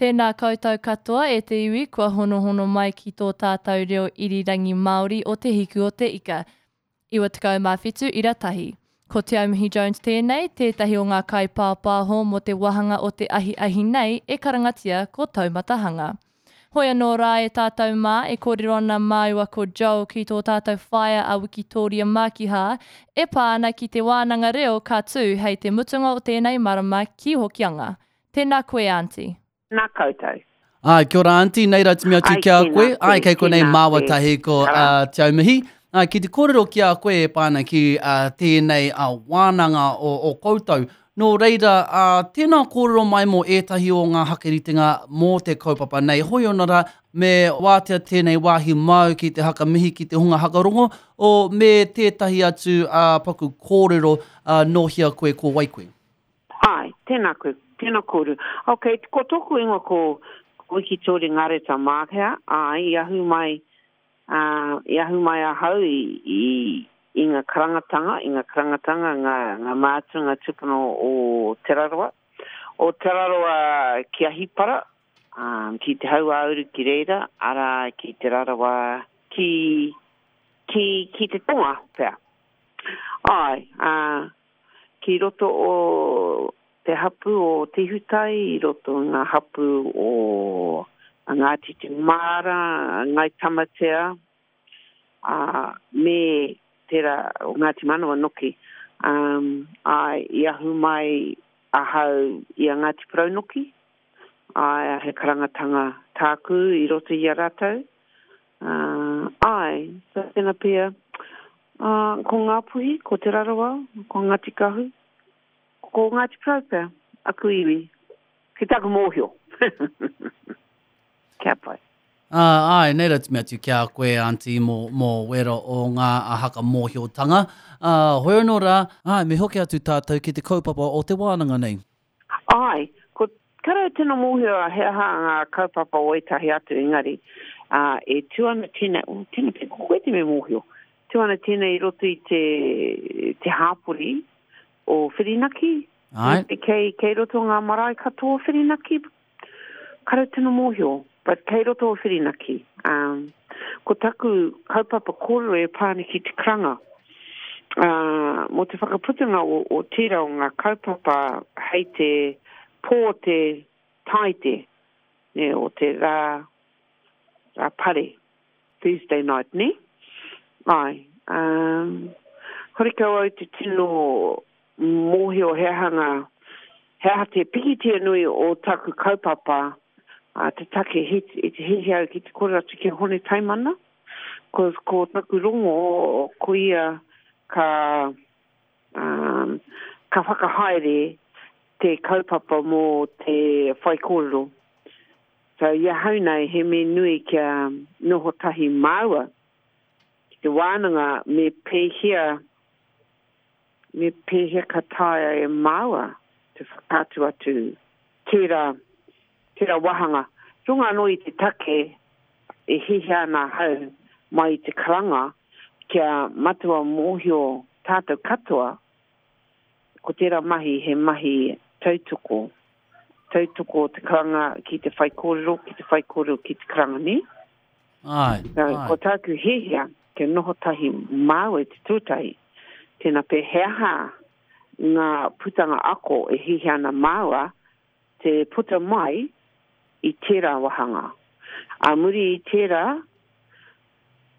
Tēnā koutou katoa e te iwi kua honohono mai ki tō tātou reo irirangi Māori o Te Hiku o Te Ika. 97 ira tahi. Ko Te Aumihi Jones tēnei, tētahi o ngā kaipāpāho mō te wāhanga o te ahiahi nei e karangatia ko Taumatahanga. Hoi anō rā e tātou mā, e kōrero ana māua ko Joel ki tō tātou whaea a Wikitōria Mākihā e pā ana ki te wānanga reo ka tū hei te mutunga o tēnei marama ki Hokianga. Tēnā koe Aunty. Nā koutou. Āe, kia ora aunty, nei rā timi atu Ai, ki a tēnā koe. koe, Āe, kei konei tēnā māua koe. tahi ko Kara. uh, Te Aumihi. Āe, ki te kōrero ki a koe e pā ana ki uh, tēnei uh, wānanga o, o koutou. Nō reira, uh, tēnā kōrero mai mō ētahi o ngā hakeritenga mō te kaupapa nei. Hoi ona rā, me wātea tēnei wāhi māu ki te hakamihi ki te hunga hakarongo, o, me tētahi atu uh, paku kōrero uh, nō hea koe, ko wai koe? Āe, tēnā koe, tēnā kōrua. Ok, ko tōku ingoa ko Wikitōria Ngareta Mākehā, āe, i ahu mai, ā, i ahu mai ahau i, i, i ngā karangatanga, i ngā karangatanga, ngā, ngā mātua, ngā tūpuna o Te Rarawa. O Te Rarawa ki Ahipara, ā, ki Te Hauāuru ki reira, arā, ki Te Rarawa, ki, ki, ki te tonga pea. Āe, ā, Ki roto o te hapū o Te Ihutai, i roto i ngā hapū o Ngāti Te Maara, Ngāi Tamatea, ā, me tērā o Ngāti Manawa noki. Āe, i ahu mai ahau i a Ngāti Porou noki, āe, he karangatanga tāku i roto i a rātou. Āe, so tēnā pea, ā, ko Ngāpuhi, ko Te Rarawa, ko Ngāti Kahu, ko Ngāti Porou pea, aku iwi, ki taku mōhio. Kia pai. Ā, āe, nei rā te mea atu ki a koe, Aunty, mō, mō wera o ngā haka mōhiotanga. Ā, hoi anō rā, āe, me hoki atu tātou ki te kaupapa o te wānanga nei. Āe, ko Kare au tino mōhio he aha ngā kaupapa o ētahi atu engari, ā, e tū ana tēnei, oh, tēnā pea ko koe te mea mōhio, tū ana tēnei i roto i te, te hāpori o Whirinaki, Āe. kei, kei roto ngā marae katoa o Whirinaki, kare au tino mōhio, but kei roto o Whirinaki. Um, ko taku kaupapa kōrero e pā ana ki te karanga, ā, mō te whakaputanga o, o tērā o ngā kaupapa hei te pō o te Tāite, nē, o te rā, rā pare, Thursday night, nē? Āe, ā, horekau au te tino mōhio he aha ngā, he aha te pikitia nui o taku kaupapa, ā, te take he, i te hiahia au ki te kōrero atu ki a Hone Taimana, ko, ko taku rongo, ko ia ka, ā, ka whakahaere te kaupapa mō te whaikōrero. So, i ahau nei, he mea nui kia noho tahi māua ki te wānanga me pēhea, me pēhea ka taea e māua te whakaatu atu tērā, tērā wāhanga. Runga anō i te take e hiahia ana ahau mai i te karanga kia matua mōhio tātou katoa ko tērā mahi he mahi tautoko, tautoko te karanga ki te whaikōrero, ki te whaikōrero ki te karanga, nē? Āe, So, āe. ko tāku hiahia kia noho tahi māua i te tuatahi, tēnā pea he aha ngā putanga ako e hiahia ana māua te puta mai i tērā wāhanga. Ā muri i tērā,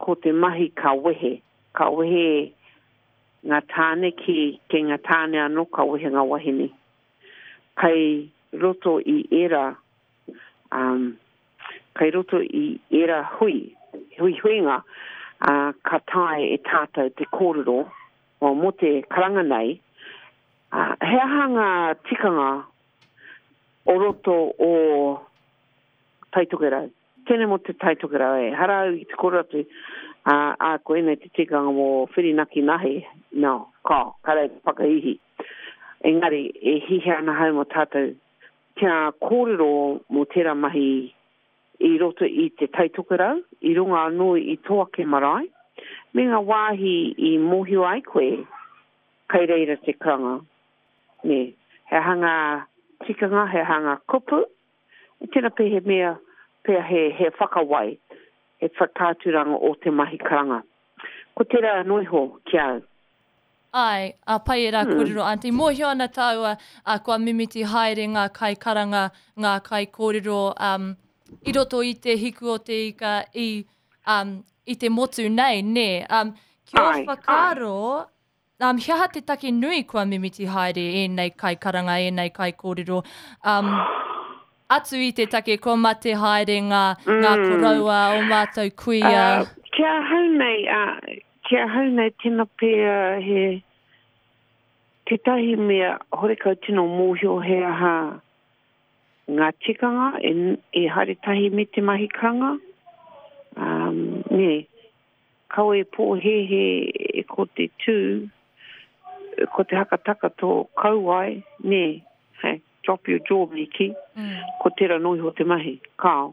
ko te mahi ka wehe. Ka wehe ngā tāne ki, kei ngā tāne anō ka wehe ngā wahine. Kei roto i ērā, um, kei roto i ērā hui, huihuinga, ā, ka taea e tātou te kōrero, well, mō te karanga nei, ā, he aha ngā tikanga o roto o Tai Tokerau? Tēnei mō te Tai Tokerau, ehara au i te kōrero atu, ā, ā, koinei te tikanga mō Whirinaki Nahe, no, kao, kāre au te whakaihi. Engari, e hiahia ana ahau mō tātou kia kōrero mō tērā mahi i roto i te Tai Tokerau, i runga anō i tō ake marae, me ngā wāhi i mōhio ai koe kei reira te karanga, nē. He aha ngā tikanga, he aha ngā kupu? E tena pea he mea, pea he, he whakawai, he whakaaturanga o te mahi karanga. Ko tera anō iho ki a au. Āe, ā, pai ērā kōrero, Aunty. Mōhio ana tāua, ā, kua mimiti haere ngā kaikaranga, ngā kaikōrero, um, i roto i te hiku o te ika, i, um, i te motu nei, nē. Um, ki ō whakaaro, um, he aha te take nui kua mimiti haere ēnei kaikaranga, ēnei kaikōrero, um, atu i te take kua mate haere ngā, ngā koroua, ō mātou kuia? Uh, ki ahau nei, uh, ki ahau nei tena pea he tētahi mea horekau tino mōhio he aha ngā tikanga e, e haere tahi me te mahi karanga. Um, nē, Kaua e pōhēhē ko te tū, ko te hakataka tō kauae, nē, hey, drop your jaw me kī, ko tērā noa iho te mahi. Kāo,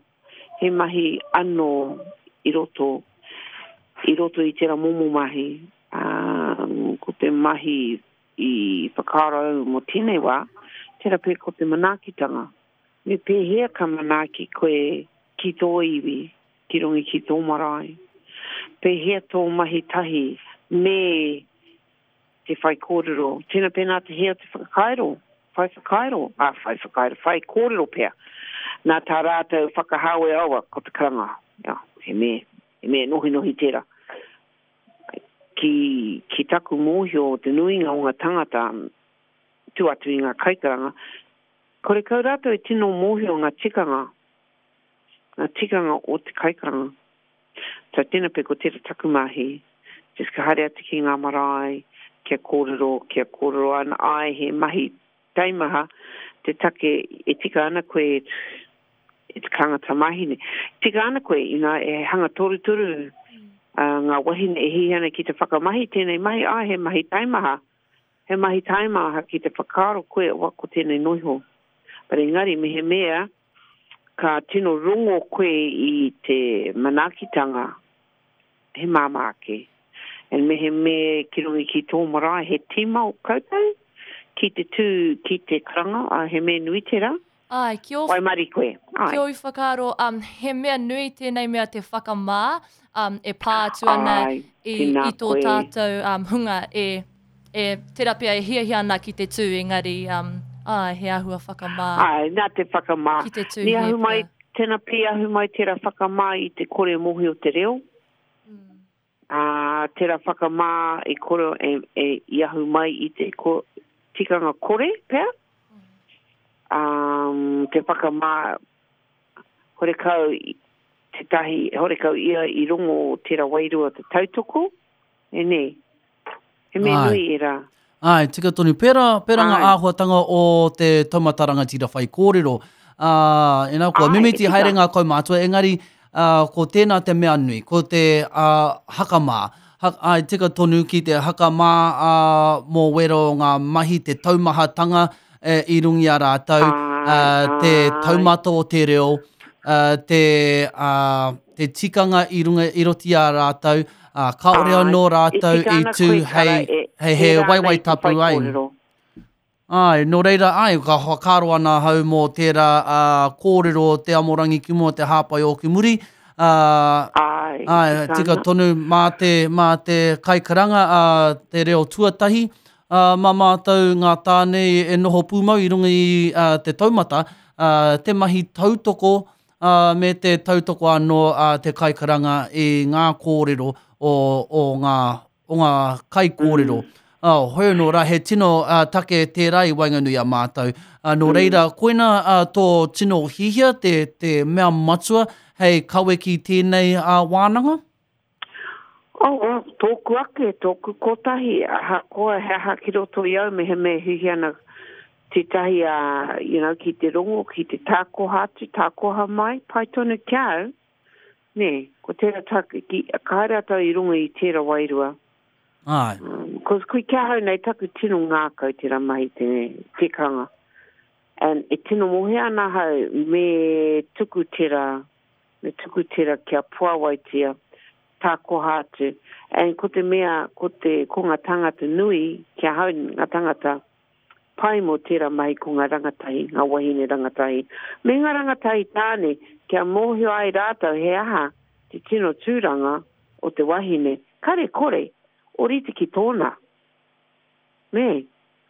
he mahi anō i roto, i roto i tērā momo mahi, ā, ko te mahi i whakaaro au mō tēnei wā, tērā pea ko te manaakitanga. Me pēhea ka manaaki koe ki tō iwi, ki runga ki tō marae? Pēhea tō mahi tahi me te whaikōrero? Tēnā pēnā te hē o te whakairo, whai whakairo, ā, whai whakairo, whai kōrero pea. Nā tā rātou whakahāwea awa ko te karanga, yeah, he mea, he mea nohinohi tērā. Ki, ki taku mōhio, te nuinga o ngā tangata, tua atu i ngā kaikaranga, Korekau rātou e tino mōhio ngā tikanga, ngā tikanga o te kaikaranga. So tēnā pea ko tērā taku mahi, just ka haere atu ki ngā marae, kia kōrero, kia kōrero ana, āe he mahi taimaha te take e tika ana koe e te karanga tamāhine. Tika ana koe, you know, e hanga torutoru ngā wahine e hiahia ana ki te whakamahi tēnei mahi, āe he mahi taimaha. He mahi taimaha ki te whakaaro koe wa ko tenei noiho. But engari mehemea ka tino rongo koe i te manaakitanga he māmā ake. And mehemea ki runga ki tō marae he tīma o koutou ki te tū ki te karanga, he mea nui tērā. Āe, ki ō, Waimarie koe, āe. Ki ōu whakaaro, um, he mea nui tēnei mea te whakamā, um, e pā atu ana Āe, i, tēnā i tō koe. tātou um, hunga e, e, tērā pea e hiahia ana ki te tū, engari, um, āe, he āhua whakamā. Āe, nā te whakamā. Ki te tū Ni hē ahu mai, pea. tēnā pī ahu mai tērā whakamā i te kore mōhio te reo. Ā, tērā whakamā i kore, e, e, i ahu mai i te ko, tikanga kore pea. Ā, te whakamā, horekau tētahi, horekau ia i rongo tērā wairua te tautoko, e nē. He mea nui ērā. Āe, tika tonu. Pērā, pērā ngā āhuatanga o te taumata rangatira whaikōrero. Ā, ina kua mimiti haere ngā kaumātua, engari, ā, ko tēnā te mea nui, ko te, ā, hakamā. Ha, āe, tika tonu ki te hakamā, ā, mō wērā o ngā mahi, te taumahatanga, e, i runga i a rātou, ā, te taumata o te reo, ā, te, ā, te tikanga i runga, i roto i a rātou, ā, kāore anō rātou i tū hei, hei he waewae tapu ai. Āe, nō reira, āe, ka whakaaro ana ahau mō tērā ā, kōrero o te amorangi ki mua, te hāpai o ki muri, ā, āe, tika tonu mā te, mā te kaikaranga, ā, te reo tuatahi, ā, mā mātou ngā tāne e noho pūmau i runga i ā, te taumata, ā, te mahi tautoko, ā, me te tautoko anō a te kaikaranga i ngā kōrero o, o ngā, o ngā kaikōrero. Mm. Ā, hoi anō rā, he tino uh, take tērā i waenganui a mātou. Uh, nō reira, koina uh, tō tino hihia, te, te mea matua hei kawe ki tēnei uh, wānanga? Oh, well, tōku ake, tōku kotahi, ahakoa he aha ki roto i au, mehemea e hiahia ana tētahi, uh, you know, ki te rongo, ki te tākoha atu, tākoha mai, pai tonu ki a au, nē, ko tērā tāku, ki, ka haere atu au i runga i tērā wairua. Āe. Um, cause kui ki ahau nei taku tino ngākau tērā mahi te tikanga. And e tino mōhio ana ahau me tuku tērā, Me tuku tera kia puawaitia, takoha atu. And ko te mea, ko te, ko nga tangata nui, ki ahau nga tangata, pai mō tērā mahi ko ngā rangatahi, ngā wahine rangatahi, me ngā rangatahi tāne, kia mōhio ai rātou he aha te tino tūranga o te wahine, kare kore, orite ki tōna. Nē?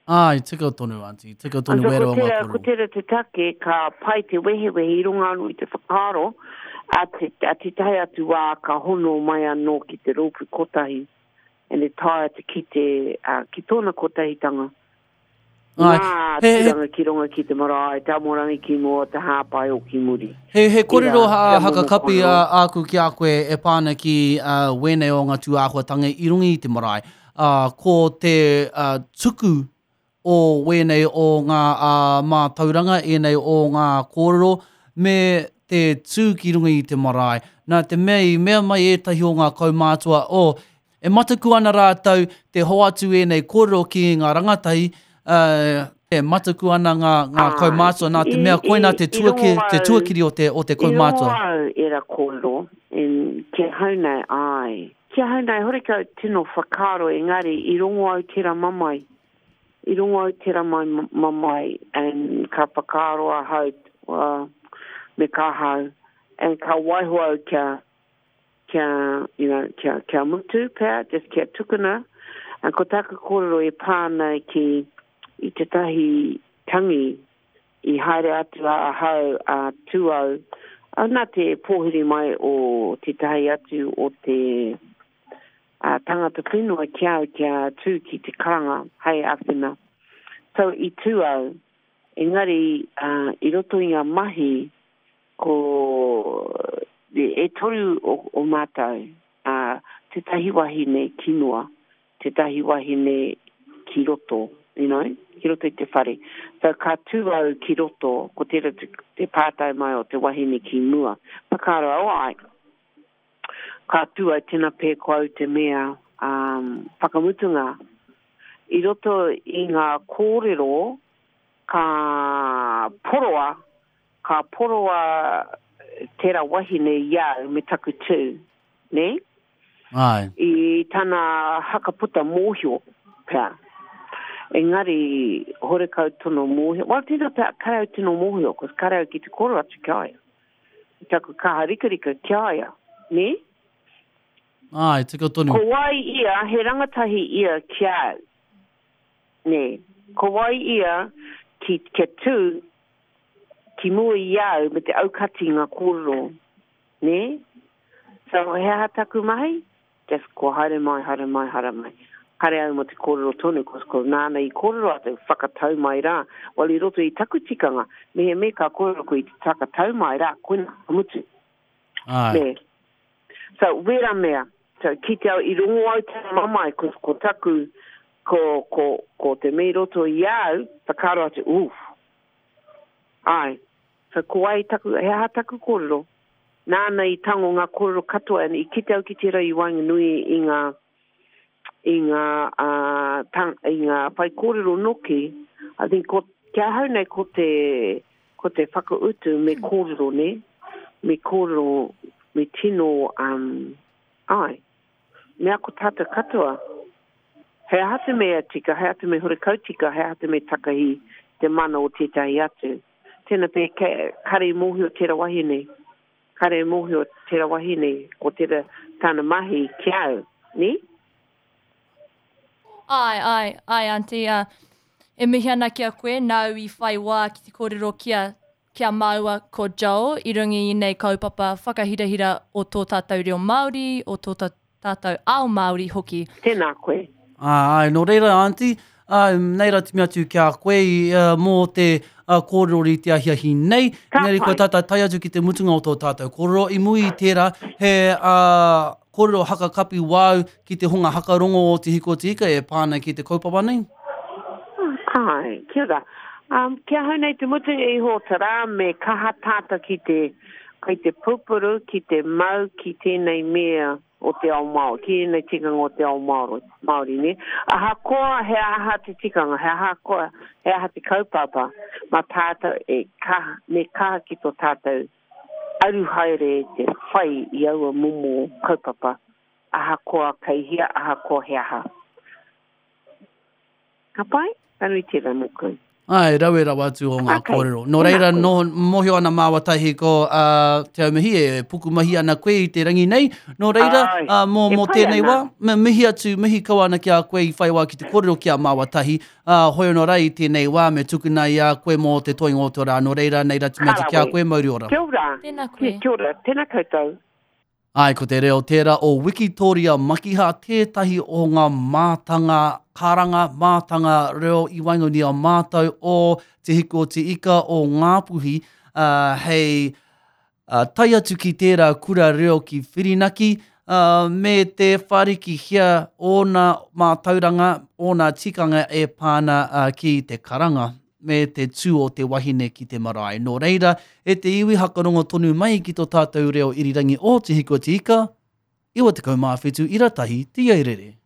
Āe, tika tonu, Aunty, tika tonu And so wērā ko o ngā tērā, ko kōrero. tērā te take ka pai te wehewehe i runga anō i te whakaaro a te, a tētahi atu wā ka hono mai anō ki te rōpū kotahi and e taea te kite uh, ki tōna kotahitanga. Āe, Ngā he, he, tūranga ki runga ki te marae, te amorangi ki mua, te hāpai o ki muri. He, he Tērā, kōrero tērā momo hakakapi kōrero. āku ki a koe e pā ana ki uh, wēnei o ngā tūāhuatanga i runga i te marae. Ā, ko te tuku o wēnei o ngā mātauranga, ēnei o ngā kōrero, me te tū ki runga i te marae. Nā te mea i mea mai ētahi o ngā kaumātua, oh, e mataku ana rātou te hoatu ēnei kōrero ki ngā rangatahi, ā, e mataku ana ngā, ngā kaumātua nā te mea koinā te tuaki, te tuakiri o te, o te kaumātua. I rongo au ērā kōrero, and ki ahau nei, āe. Ki ahau nei, horekau tino whakaaro engari i rongo au tera mamae. I rongo au tera mamae and ka whakaaro ahau well, me ka ahau and ka waiho au kia, kia, you know, kia, kia mutu pea, just kia tukuna. And ko taku kōrero e pā ana ki i tētahi tangi I haere atu a ahau a Tūau, nā te pōhiri mai o tētahi atu o te tangata whenua ki au kia tū ki te karanga hei āwhina. So i tū au, engari i roto i ngā mahi ko e toru o mātou, tētahi wahine ki mua, tētahi wahine ki roto, you know, ki roto i te whare. So ka tū au ki roto, ko tērā te, te pātai mai o te wahine ki mua. Whakaaro au, āe, ka tū au, tēnā pē ko au te mea um, whakamutunga. I roto i ngā kōrero, ka poroa, ka poroa tērā wahine i au me taku tū, nē? Āe. I tana hakaputa mōhio pea. Engari, horekau tono mōhio. Well, tēnā pea, kare au tino mōhio, cos kare au ki te kōrero atu ki a ia. I taku kaha rikarika ki a ia, nē? Āe, tika tonu. Ko wai ia, he rangatahi ia ki a au, nē? Ko wai ia ki, kia tū ki mua i a au me te aukati i ngā kōrero, nē? So, he aha taku mahi? Just kua haere mai, haere mai, haere mai. Kare au mo te kōrero tonu, cos ko nāna i kōrero atu, whakatau mai rā. Well, i roto i taku tikanga, mehemea ka kōrero koe i te whakatau mai rā, koina, ka mutu. Āe. Nē. So, wera mea. So, kite au, i rongo au te mamae, cos ko taku, ko, ko, ko te mea i roto i a au, whakaaro atu, oof. Āe. So, ko wai taku, he aha taku kōrero? Nāna i tango ngā kōrero katoa, and i kite au ki tērā i waenganui i ngā, i ngā, uh, tang, i ngā whaikōrero noki, I think ko, ki ahau nei ko te, ko te whakautu me kōrero, nē? Me kōrero, me tino, um, āe. Me ako tātou katoa. He aha te mea tika, he aha te mea horekau tika, he aha te mea takahi te mana o tētahi atu. Tēnā pea, kare i mōhio tērā wahine, kare i mōhio tērā wahine, ko tērā tāna mahi ki a au, nē? Āe, āe, āe aunty, ā, e mihi ana ki a koe, nāu i whai wā ki te kōrero ki a, ki a māua ko Joel i runga i ēnei kaupapa whakahirahira o tō tātou reo Māori, o tō tātou ao Māori hoki. Tēnā koe. Āe, nō reira aunty, ā, nei rā te mea atu ki a koe mō te kōrero i te ahiahi nei. Ka Engari kua pai. tātou tae atu ki te mutunga o tō tātou kōrero. I muri i tērā, he kōrero hakakapi wāu ki te hunga hakarongo o Te Hiku o Te Ika e pā ana ki te kaupapa nei? Āe, kia ora. Um, ki ahau nei te mutunga iho o te rā me kaha tātou ki te, ki te pupuru, ki te mau ki tēnei mea o te ao Māori, ki ēnei tikanga o te ao Māori, Māori nē. Ahakoa he aha te tikanga, he ahakoa he aha te kaupapa, mā tātou e kaha, me kaha ki tō tātou aru haere te whai i aua momo kaupapa, ahakoa kei hea, ahakoa he aha. Ka pai? Ka nui tērā mōku. Āe, rawe rawa atu o ngā Okay. kōrero. Nō Tēnā reira, koe. nō, mōhio ana māua tahi ko uh, Te Aumihi e pukumahi ana koe i te rangi nei. Nō reira, Āe, uh, mō, e mō pai tēnei ana. wā, me mihi atu, mihi kau ana ki a koe i whai wā ki te kōrero ki a māua tahi. Uh, hoi anō rā i tēnei wā, me tukuna i a koe mō te toinga o te rā. Nō reira, nei rā te mea Ka atu ki a rawe. koe, mauri ora. Kia ora. Tēnā koe. Kia ora. Tēnā koutou. Āe, ko te reo tērā o Wikitōria Makiha tētahi o ngā mātanga karanga, mātanga reo i waenganui a mātou o Te Hiku o Te Ika o Ngāpuhi, ā, hei ā, tae atu ki tērā kura reo ki Whirinaki, ā, me te whārikihia ōna mātauranga, ōna tikanga e pā ana ki te karanga. me te tū o te wahine ki te marae. Nō reira, e te iwi hakarongo tonu mai ki tō tātou reo irirangi o Te Hiku o Te Ika, 97 ira tahi, Te Airere.